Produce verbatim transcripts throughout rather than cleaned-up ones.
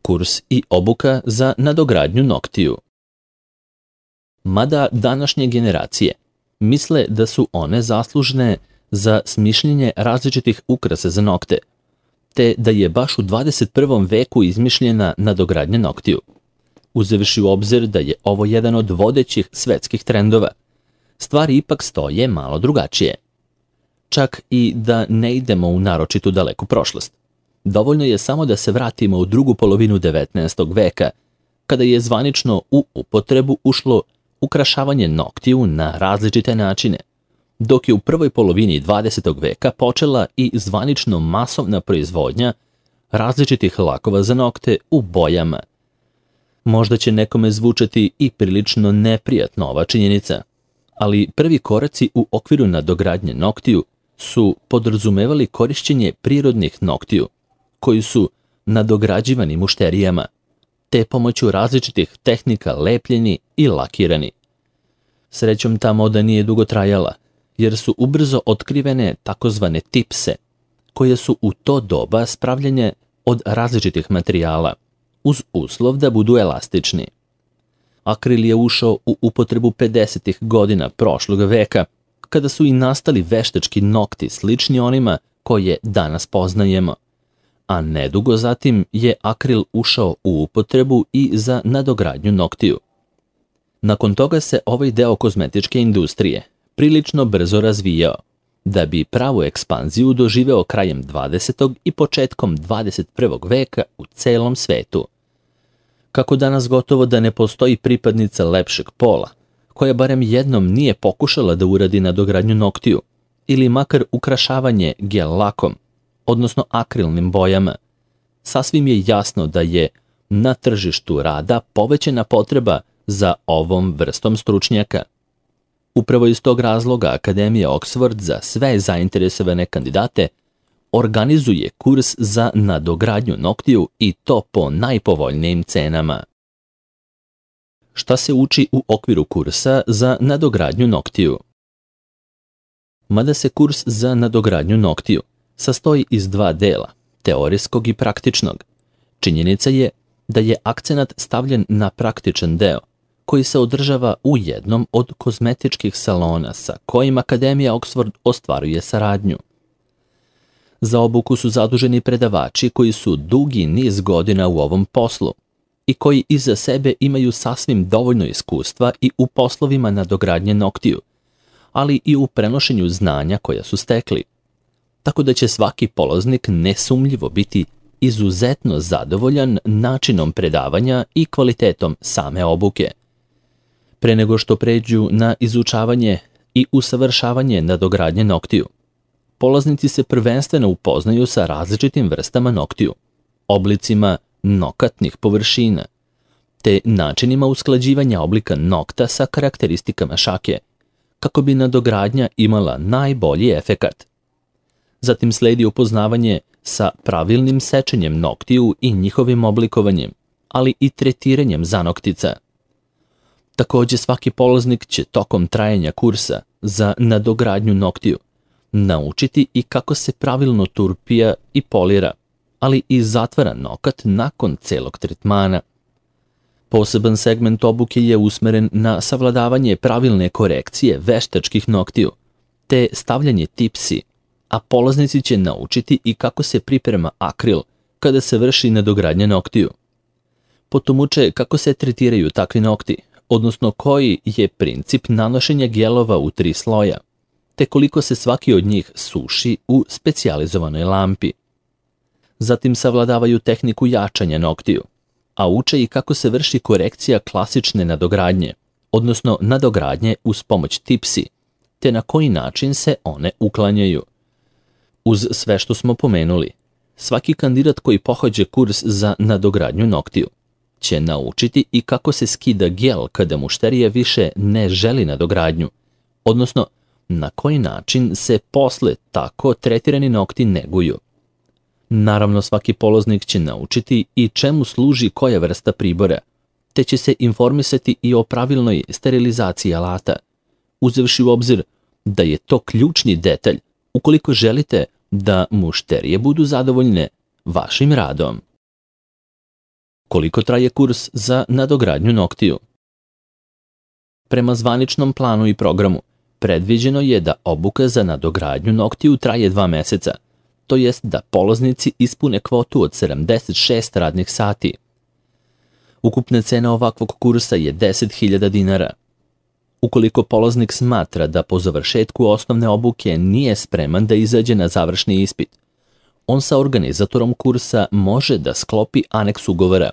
kurs i obuka za nadogradnju noktiju. Mada današnje generacije misle da su one zaslužne za smišljenje različitih ukrasa za nokte, te da je baš u dvadeset prvom veku izmišljena nadogradnja noktiju. Uzevši u obzir da je ovo jedan od vodećih svetskih trendova, stvari ipak stoje malo drugačije. Čak i da ne idemo u naročitu daleku prošlost. Dovoljno je samo da se vratimo u drugu polovinu devetnaestog veka, kada je zvanično u upotrebu ušlo ukrašavanje noktiju na različite načine, dok je u prvoj polovini dvadesetog veka počela i zvanično masovna proizvodnja različitih lakova za nokte u bojama. Možda će nekome zvučati i prilično neprijatno ova činjenica, ali prvi koraci u okviru nadogradnje noktiju su podrazumevali korišćenje prirodnih noktiju, koji su nadograđivani mušterijama, te pomoću različitih tehnika lepljeni i lakirani. Srećom ta moda nije dugo trajala, jer su ubrzo otkrivene takozvane tipse, koje su u to doba spravljene od različitih materijala, uz uslov da budu elastični. Akril je ušao u upotrebu pedesetih godina prošlog veka, kada su i nastali veštački nokti slični onima koje danas poznajemo, a nedugo zatim je akril ušao u upotrebu i za nadogradnju noktiju. Nakon toga se ovaj deo kozmetičke industrije prilično brzo razvijao, da bi pravu ekspanziju doživeo krajem dvadesetog i početkom dvadeset prvog veka u celom svetu. Kako danas gotovo da ne postoji pripadnica lepšeg pola, koja barem jednom nije pokušala da uradi nadogradnju noktiju ili makar ukrašavanje gel lakom, odnosno akrilnim bojama, sasvim je jasno da je na tržištu rada povećana potreba za ovom vrstom stručnjaka. Upravo iz tog razloga Akademija Oxford za sve zainteresovane kandidate organizuje kurs za nadogradnju noktiju i to po najpovoljnijim cenama. Šta se uči u okviru kursa za nadogradnju noktiju? Mada se kurs za nadogradnju noktiju sastoji iz dva dela, teorijskog i praktičnog, činjenica je da je akcenat stavljen na praktičan deo, koji se održava u jednom od kozmetičkih salona sa kojim Akademija Oxford ostvaruje saradnju. Za obuku su zaduženi predavači koji su dugi niz godina u ovom poslu i koji iza sebe imaju sasvim dovoljno iskustva i u poslovima nadogradnje noktiju, ali i u prenošenju znanja koja su stekli, tako da će svaki polaznik nesumnjivo biti izuzetno zadovoljan načinom predavanja i kvalitetom same obuke. Pre nego što pređu na izučavanje i usavršavanje nadogradnje noktiju, polaznici se prvenstveno upoznaju sa različitim vrstama noktiju, oblicima nokatnih površina, te načinima usklađivanja oblika nokta sa karakteristikama šake, kako bi nadogradnja imala najbolji efekat. Zatim sledi upoznavanje sa pravilnim sečenjem noktiju i njihovim oblikovanjem, ali i tretiranjem zanoktica. Također svaki polaznik će tokom trajanja kursa za nadogradnju noktiju naučiti i kako se pravilno turpija i polira, ali i zatvara nokat nakon celog tretmana. Poseban segment obuke je usmeren na savladavanje pravilne korekcije veštačkih noktiju, te stavljanje tipsi, a polaznici će naučiti i kako se priprema akril kada se vrši nadogradnja noktiju. Potom uče kako se tretiraju takvi nokti, odnosno koji je princip nanošenja gelova u tri sloja, te koliko se svaki od njih suši u specijalizovanoj lampi. Zatim savladavaju tehniku jačanja noktiju, a uče i kako se vrši korekcija klasične nadogradnje, odnosno nadogradnje uz pomoć tipsi, te na koji način se one uklanjaju. Uz sve što smo pomenuli, svaki kandidat koji pohađa kurs za nadogradnju noktiju će naučiti i kako se skida gel kada mušterija više ne želi nadogradnju, odnosno na koji način se posle tako tretirani nokti neguju. Naravno, svaki polaznik će naučiti i čemu služi koja vrsta pribora, te će se informisati i o pravilnoj sterilizaciji alata, uzevši u obzir da je to ključni detalj ukoliko želite da mušterije budu zadovoljne vašim radom. Koliko traje kurs za nadogradnju noktiju? Prema zvaničnom planu i programu, predviđeno je da obuka za nadogradnju noktiju traje dva meseca, to jest da polaznici ispune kvotu od sedamdeset šest radnih sati. Ukupna cena ovakvog kursa je deset hiljada dinara. Ukoliko polaznik smatra da po završetku osnovne obuke nije spreman da izađe na završni ispit, on sa organizatorom kursa može da sklopi aneks ugovora,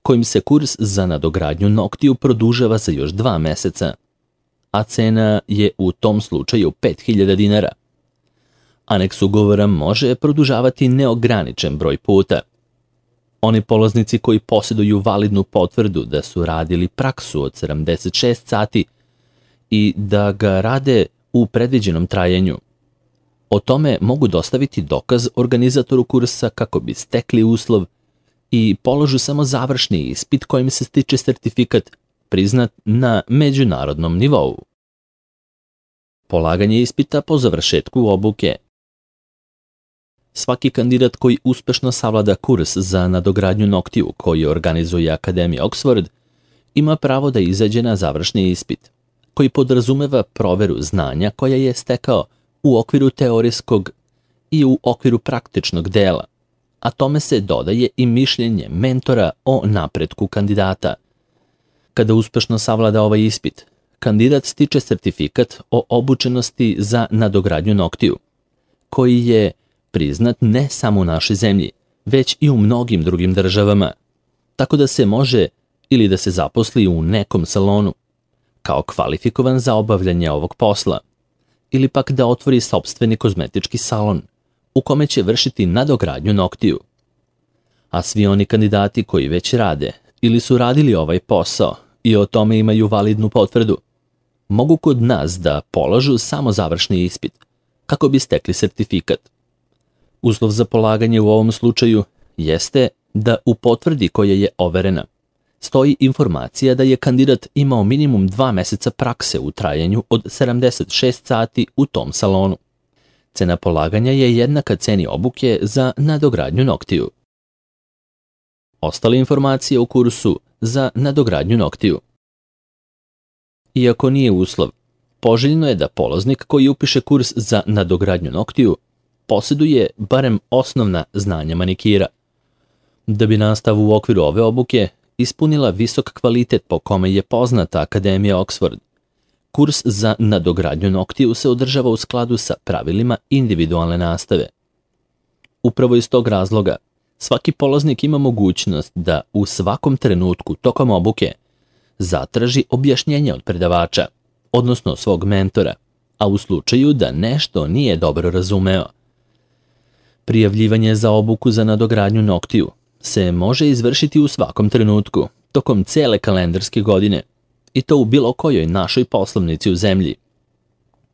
kojim se kurs za nadogradnju noktiju produžava za još dva meseca, a cena je u tom slučaju pet hiljada dinara. Aneks ugovora može produžavati neograničen broj puta. Oni polaznici koji posjeduju validnu potvrdu da su radili praksu od sedamdeset šest sati i da ga rade u predviđenom trajanju, o tome mogu dostaviti dokaz organizatoru kursa kako bi stekli uslov i položu samo završni ispit kojim se stiče sertifikat priznat na međunarodnom nivou. Polaganje ispita po završetku obuke. Svaki kandidat koji uspešno savlada kurs za nadogradnju noktiju koji organizuje Akademija Oxford ima pravo da izađe na završni ispit, koji podrazumeva proveru znanja koja je stekao u okviru teorijskog i u okviru praktičnog dela, a tome se dodaje i mišljenje mentora o napretku kandidata. Kada uspešno savlada ovaj ispit, kandidat stiče sertifikat o obučenosti za nadogradnju noktiju, koji je priznat ne samo u našoj zemlji, već i u mnogim drugim državama, tako da se može ili da se zaposli u nekom salonu, kao kvalifikovan za obavljanje ovog posla, ili pak da otvori sopstveni kozmetički salon, u kome će vršiti nadogradnju noktiju. A svi oni kandidati koji već rade ili su radili ovaj posao i o tome imaju validnu potvrdu, mogu kod nas da polažu samo završni ispit, kako bi stekli sertifikat. Uslov za polaganje u ovom slučaju jeste da u potvrdi koja je overena stoji informacija da je kandidat imao minimum dva meseca prakse u trajanju od sedamdeset šest sati u tom salonu. Cena polaganja je jednaka ceni obuke za nadogradnju noktiju. Ostale informacije u kursu za nadogradnju noktiju. Iako nije uslov, poželjno je da polaznik koji upiše kurs za nadogradnju noktiju posjeduje barem osnovna znanja manikira. Da bi nastavu u okviru ove obuke ispunila visok kvalitet po kome je poznata Akademija Oxford, kurs za nadogradnju noktiju se održava u skladu sa pravilima individualne nastave. Upravo iz tog razloga, svaki polaznik ima mogućnost da u svakom trenutku tokom obuke zatraži objašnjenje od predavača, odnosno svog mentora, a u slučaju da nešto nije dobro razumeo. Prijavljivanje za obuku za nadogradnju noktiju se može izvršiti u svakom trenutku, tokom cele kalendarske godine, i to u bilo kojoj našoj poslovnici u zemlji.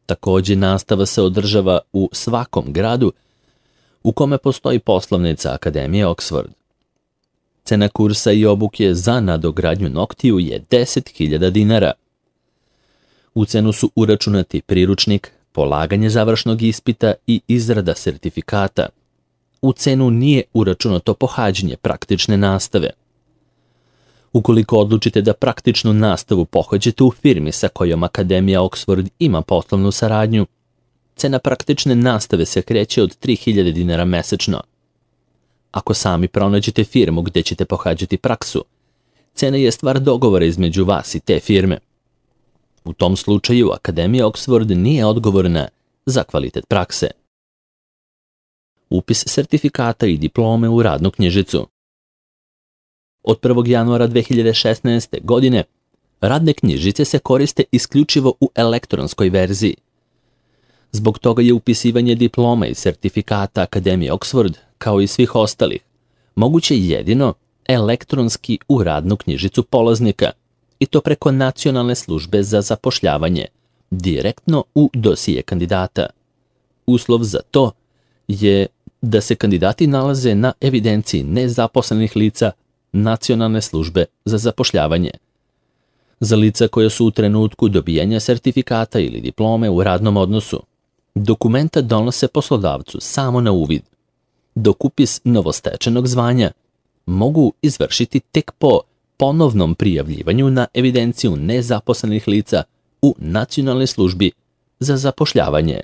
Takođe, nastava se održava u svakom gradu u kome postoji poslovnica Akademije Oxford. Cena kursa i obuke za nadogradnju noktiju je deset hiljada dinara. U cenu su uračunati priručnik, polaganje završnog ispita i izrada sertifikata. U cenu nije uračunato pohađanje praktične nastave. Ukoliko odlučite da praktičnu nastavu pohađate u firmi sa kojom Akademija Oxford ima poslovnu saradnju, cena praktične nastave se kreće od tri hiljade dinara mesečno. Ako sami pronađete firmu gde ćete pohađati praksu, cena je stvar dogovora između vas i te firme. U tom slučaju Akademija Oxford nije odgovorna za kvalitet prakse. Upis sertifikata i diplome u radnu knjižicu. Od prvog januara dve hiljade šesnaeste. godine radne knjižice se koriste isključivo u elektronskoj verziji. Zbog toga je upisivanje diploma i sertifikata Akademije Oxford, kao i svih ostalih, moguće jedino elektronski u radnu knjižicu polaznika, i to preko Nacionalne službe za zapošljavanje, direktno u dosije kandidata. Uslov za to je da se kandidati nalaze na evidenciji nezaposlenih lica Nacionalne službe za zapošljavanje. Za lica koja su u trenutku dobijanja sertifikata ili diplome u radnom odnosu, dokumenta donose poslodavcu samo na uvid, dok upis novostečenog zvanja mogu izvršiti tek po ponovnom prijavljivanju na evidenciju nezaposlenih lica u Nacionalnoj službi za zapošljavanje.